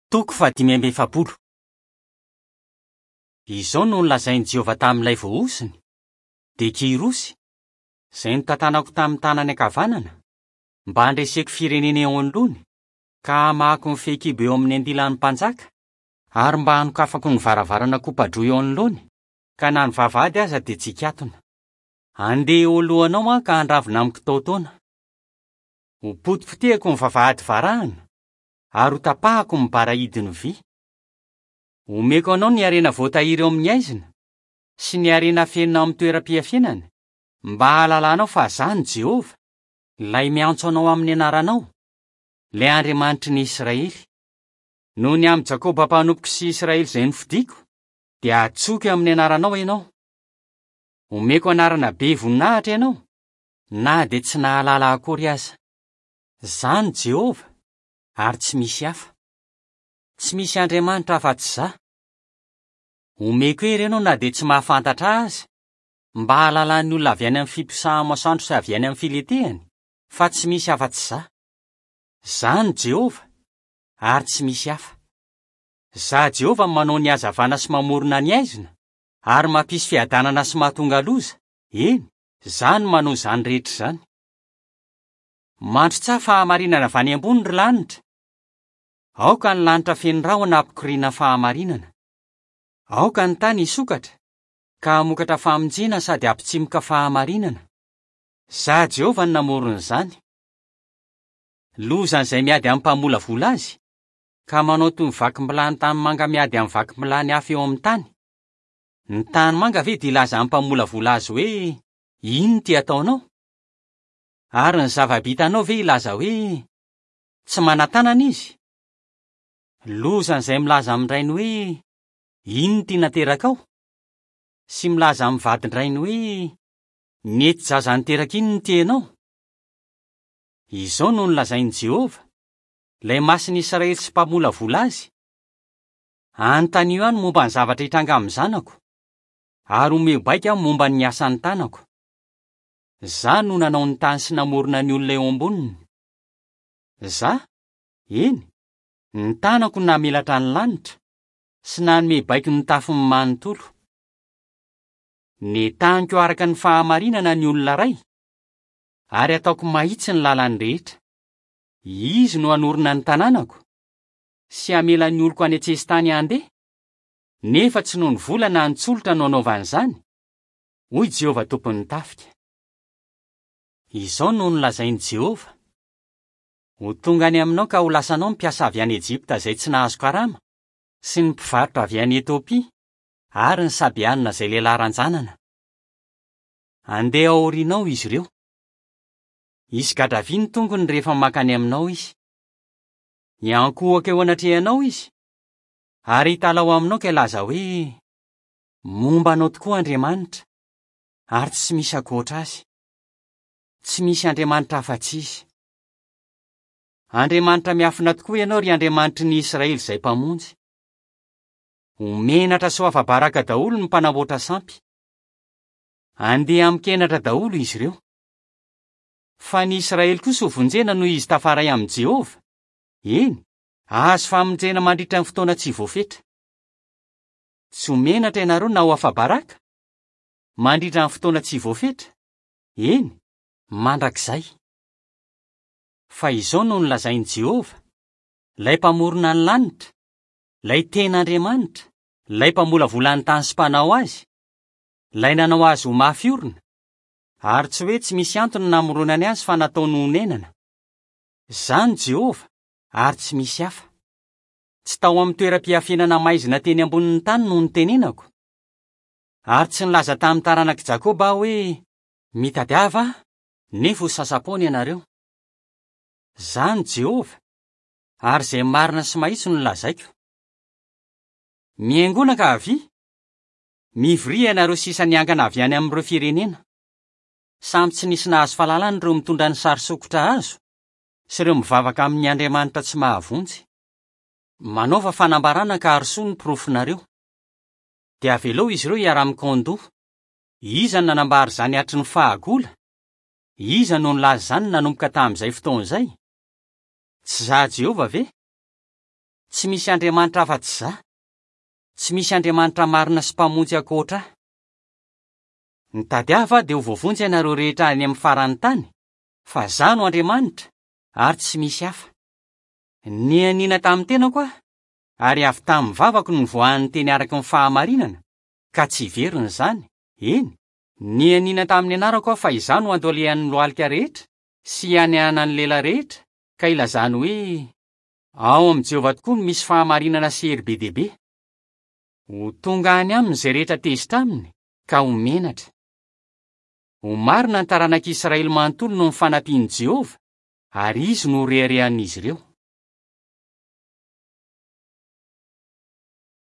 Toko fahadimy amby efapolo. Izao no nolazain'i Jehovah tamin'ilay voahosony, dia Kyrosy, izay notantanako tamin'ny tanany ankavanana, mba handreseko firenena eo anoloany, ka hamahako ny fehikibo eo amin'ny andilan'ny mpanjaka, ary mba hanokafako ny varavarana kopa-droa eo anoloany, ka na ny vavahady aza dia tsy hikatona. Handeha eo alohanao aho ka handravona amin'ny kitaotaona. Hopotipotehiko ny vavahady varahina, ary hotapahako ny bara hidin'ny vy. Homeko anao ny harena voatahiry ao amin'ny haizina, sy ny harena afenina ao amin'ny toeram-piafenana, mba hahalalanao fa Izaho no Jehovah, Ilay miantso anao amin'ny anaranao, Ilay Andriamanitry ny Israely. Noho ny amin'i Jakoba mpanompoko sy Israely izay nofidiko, dia hantsoiko amin'ny anaranao ianao. Homeko anarana be voninahitra ianao, na dia tsy nahalala akory aza. Izaho no Jehovah, ary tsy misy hafa. Tsy misy Andriamanitra afa-tsy Izaho. Omeko hery ianao na dia tsy mahafantatra Ahy aza, mba hahalalan'ny olona avy any amin'ny fiposaha-masoandro sy avy any amin'ny filetehany, fa tsy misy afa-tsy Izaho. Izaho no Jehovah, ary tsy misy hafa. Izaho Jehovah no manao ny hazavana sy mamorona ny haizina, ary mampisy fiadanana sy mahatonga loza, eny, Izaho no manao izany rehetra izany. Mandrotsaha fahamarinana avy any ambony, ry lanitra! Aoka ny lanitra feno rahona hampikoriana fahamarinana. Aoka ny tany hisokatra, ka hamokatra famonjena sady hampitsimoka fahamarinana. Izaho Jehovah no namorona izany. Lozan'izay miady amin'ny mpamolavola azy, ka manao toy ny vakim-bilany tanimanga miady amin'ny vakim-bilany hafa eo amin'ny tany. Ny tanimanga ve dia hilaza amin'ny mpamolavola azy hoe, 'Inona ity ataonao? Ary ny zava-bitanao ve hilaza hoe, 'Tsy manan-tanana izy'? Lozan'izay milaza amin-drainy hoe, 'Inona ity naterakao? Sy milaza amin'ny vadin-drainy hoe, 'Nety zaza niteraka inona ity ianao? Izao no nolazain'i Jehovah, ilay Masin'ny Israely sy Mpamolavola azy, Anontanio ahy ny momba ny zavatra hitranga amin'ny zanako, ary omeo baiko aho momba ny asan'ny tanako. Izaho no nanao ny tany sy namorona ny olona eo amboniny. Izaho, eny, ny tanako no namelatra ny lanitra, sy nanome baiko ny tafony manontolo. Nentaniko araka ny fahamarinana ny olona iray, ary ataoko mahitsy ny lalany rehetra. Izy no hanorina ny tanànako, sy hamela ny oloko any an-tsesitany handeha, nefa tsy noho ny vola na ny tsolotra no anaovany izany, hoy Jehovah Tompon'ny tafika. Izao no nolazain'i Jehovah, Ho tonga any aminao ka ho lasanao ny mpiasa avy any Ejipta izay tsy nahazo karama, sy ny mpivarotra avy any Etiopia, ary ny Sabeanina izay lehilahy ranjanana. Handeha ao aorianao izy ireo. Hisy gadra vy ny tongony rehefa mankany aminao izy. Hiankohoka eo anatrehanao izy, ary hitalaho aminao ka hilaza hoe, Momba anao tokoa Andriamanitra, ary tsy misy ankoatra Azy. Tsy misy Andriamanitra afa-tsy Izy. Andriamanitra miafina tokoa Ianao, ry Andriamanitry ny Israely izay Mpamonjy. Ho menatra sy ho afa-baraka daholo ny mpanamboatra sampy. Handeha amin-kenatra daholo izy ireo. Fa ny Israely kosa hovonjena noho izy tafaray amin'i Jehovah, eny, hahazo famonjena mandritra ny fotoana tsy voafetra. Tsy ho menatra ianareo na ho afa-baraka, mandritra ny fotoana tsy voafetra, eny, mandrakizay. Fa izao no nolazain'i Jehovah, ilay Mpamorona ny lanitra, ilay tena Andriamanitra, ilay Mpamolavola ny tany sy Mpanao azy, ilay nanao azy ho mafy orina, ary tsy hoe tsy misy antony namoronany azy fa nataony honenana. Izaho no Jehovah, ary tsy misy hafa. Tsy tao amin'ny toeram-piafenana maizina teny ambonin'ny tany no nitenenako. Ary tsy nilaza tamin'ny taranak'i Jakoba aho hoe, 'Mitadiava ahy, nefa ho sasa-poana ianareo. Izaho no Jehovah, ary izay marina sy mahitsy no lazaiko. Mihaingoana ka avia! Mivoria ianareo sisa niangana avy any amin'ireo firenena. Samy tsy nisy nahazo fahalalana ireo mitondra ny sary sokitra hazo sy ireo mivavaka amin'ny andriamanitra tsy mahavonjy. Manaova fanambarana ka arosoy ny porofonareo. Dia avelao izy ireo hiara-mikaon-doha. Iza no nanambara izany hatry ny fahagola? Iza no nilaza izany nanomboka tamin'izay fotoana izay? Tsy izaho Jehovah ve? Tsy misy Andriamanitra afa-tsy Izaho. Tsy misy Andriamanitra marina sy Mpamonjy ankoatra Ahy. Mitadiava Ahy dia ho voavonjy ianareo rehetra any amin'ny faran'ny tany, fa Izaho no Andriamanitra, ary tsy misy hafa. Nianiana tamin'ny tenako Aho, ary avy tamin'ny vavako no nivoahan'ny teny araka ny fahamarinana, ka tsy hiverina izany, eny, nianiana tamin'ny anarako Aho fa Izaho no handoalehan'ny lohalika rehetra sy hianianan'ny lela rehetra, ka hilazany hoe, Ao amin'i Jehovah tokoa no misy fahamarinana sy hery be dia be. Ho tonga any aminy izay rehetra tezitra aminy, ka ho menatra. Ho marina ny taranak'i Israely manontolo noho ny fanampian'i Jehovah, ary izy no ho reharehan'izy ireo.